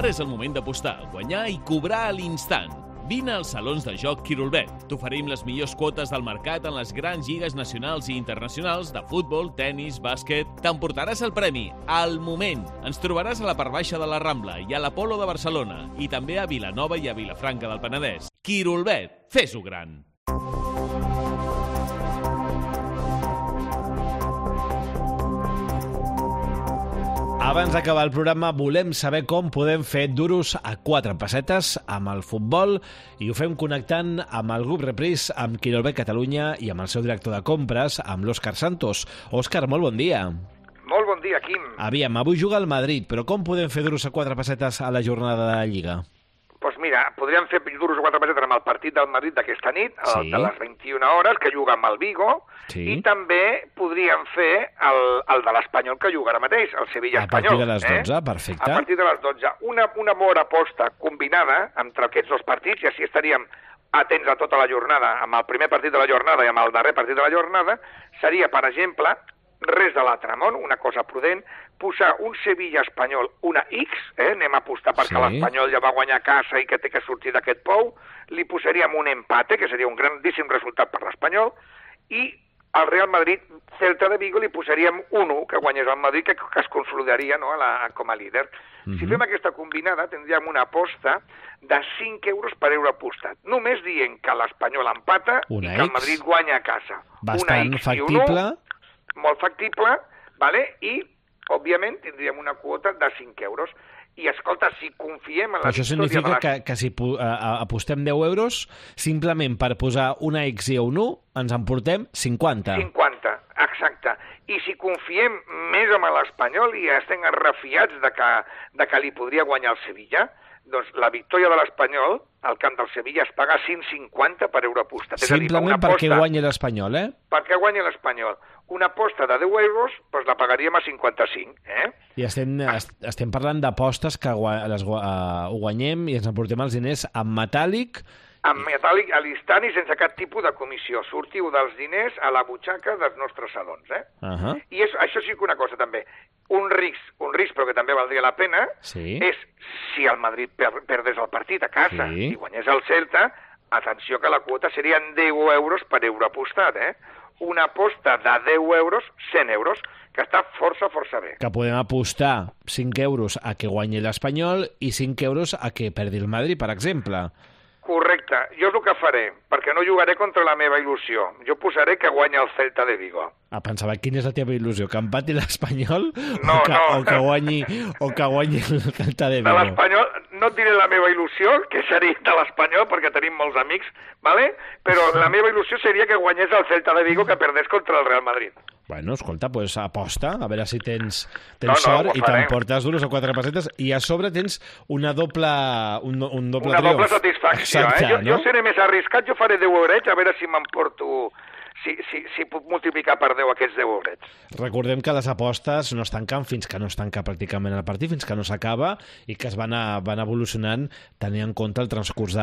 Ara és el moment d'apostar, guanyar i cobrar a l'instant. Vine als salons de joc Quirolbet. T'oferim les millors quotes del mercat en les grans lligues nacionals i internacionals de futbol, tennis, bàsquet. T'emportaràs el premi al moment. Ens trobaràs a la part baixa de la Rambla i a l'Apolo de Barcelona i també a Vilanova i a Vilafranca del Penedès. Quirolbet, fes-ho gran! Abans d'acabar el programa volem saber com podem fer duros a 4 pessetes amb el futbol i ho fem connectant amb el grup Reprise, amb Quirolbet Catalunya i amb el seu director de compres, amb l'Òscar Santos. Òscar, molt bon dia. Molt bon dia, Quim. Aviam, avui juga el Madrid, però com podem fer duros a 4 pessetes a la jornada de la Lliga? Doncs mira, podríem fer duros a 4 pessetes amb el partit del Madrid d'aquesta nit, Sí. de les 21 hores, que juga amb el Vigo, Sí. i també podríem fer el de l'Espanyol, que juga ara mateix, el Sevilla-Espanyol. A partir de les 12, perfecte. A partir de les 12. Una bona aposta combinada entre aquests dos partits, i així estaríem atents a tota la jornada, amb el primer partit de la jornada i amb el darrer partit de la jornada, seria, per exemple, res de l'altre món, una cosa prudent, posar un Sevilla-Espanyol, una X, anem a apostar perquè Sí. l'Espanyol ja va guanyar a casa i que té que sortir d'aquest pou, li posaríem un empate, que seria un grandíssim resultat per l'Espanyol, i al Real Madrid, Celta de Vigo, li posaríem un 1, que guanyés el Madrid, que es consolidaria, no, com a líder. Si fem aquesta combinada, tindríem una aposta de 5 euros per euro apostat, només dient que l'Espanyol empata Una i que el X. Madrid guanya a casa. Bastant Una X i un factible. 1, molt factible, vale? I, òbviament, tindríem una quota de 5 euros. I, escolta, si confiem en la Això victòria significa de les... que si apostem 10 euros, simplement per posar una X i un 1, ens emportem 50. 50, exacte. I si confiem més en l'Espanyol i estem refiats de que li podria guanyar el Sevilla, doncs la victòria de l'Espanyol al camp del Sevilla es paga 150 per euro apostat. Simplement perquè guanyi l'Espanyol, eh? Perquè guanyi l'Espanyol. Una aposta de 10 euros doncs la pagaríem a 55, I estem parlant d'apostes que ho guanyem i ens emportem els diners en metàl·lic. En metàl·lic a l'instant i sense cap tipus de comissió. Sortiu dels diners a la butxaca dels nostres salons, I això sí que una cosa també. Un risc, però que també valdria la pena, Sí. és si el Madrid perdés el partit a casa Sí. i guanyés el Celta, atenció que la quota serien 10 euros per euro apostat, Una aposta de 10 euros, 100 euros, que està força bé. Que podem apostar 5 euros a que guanyi l'Espanyol i 5 euros a que perdi el Madrid, per exemple. Correcte. Jo és el que faré, perquè no jugaré contra la meva il·lusió. Jo posaré que guanya el Celta de Vigo. Pensava, quina és la teva il·lusió? Que empati l'Espanyol No, o que guanyi el Celta de De Vigo? l'Espanyol, no et diré la meva il·lusió, que seria de l'Espanyol, perquè tenim molts amics, ¿vale? Però la meva il·lusió seria que guanyés el Celta de Vigo, que perdés contra el Real Madrid. Bueno, escolta, pues aposta, a veure si tens No, sort ho i farem. t'emportes duros a 4 pessetes i a sobre tens un doble Una triomf. doble satisfacció, Exacte, Jo seré més arriscat, jo faré 10 eurets, a veure si m'emporto... Si puc multiplicar per 10 aquests 10 eurets. Recordem que les apostes no es tanquen fins que no es tanca pràcticament el partit, fins que no s'acaba, i que es van evolucionant tenint en compte el transcurs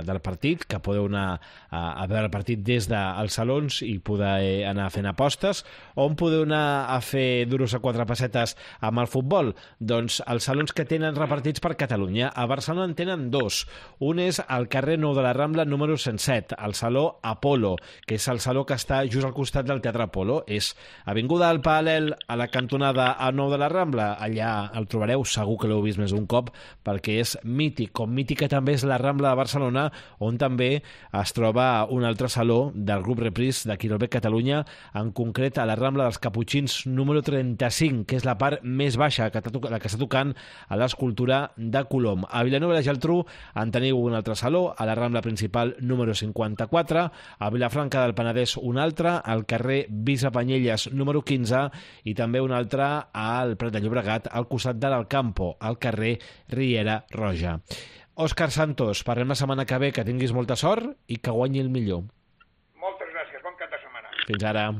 del partit, que podeu anar a veure el partit des dels salons i poder anar fent apostes. On podeu anar a fer duros a 4 pessetes amb el futbol? Doncs els salons que tenen repartits per Catalunya. A Barcelona en tenen 2. Un és al carrer Nou de la Rambla, número 107, el Saló Apolo, que és el saló que està just al costat del Teatre Apolo. És avinguda al Paral·lel, a la cantonada al Nou de la Rambla. Allà el trobareu, segur que l'heu vist més d'un cop, perquè és mític, com mítica també és la Rambla de Barcelona, on també es troba un altre saló del grup Reprise de Quirolbet Catalunya, en concret a la Rambla dels Caputxins número 35, que és la part més baixa, la que està tocant a l'escultura de Colom. A Vilanova i la Geltrú en teniu un altre saló, a la Rambla principal número 54, a Vilafranca del Penedès un altre, al carrer Vicepanyelles número 15 i també un altre al Prat de Llobregat, al costat de l'Alcampo, al carrer Riera Roja. Òscar Santos, parlem la setmana que ve, que tinguis molta sort i que guanyi el millor. Moltes gràcies, bon cap de setmana. Fins ara.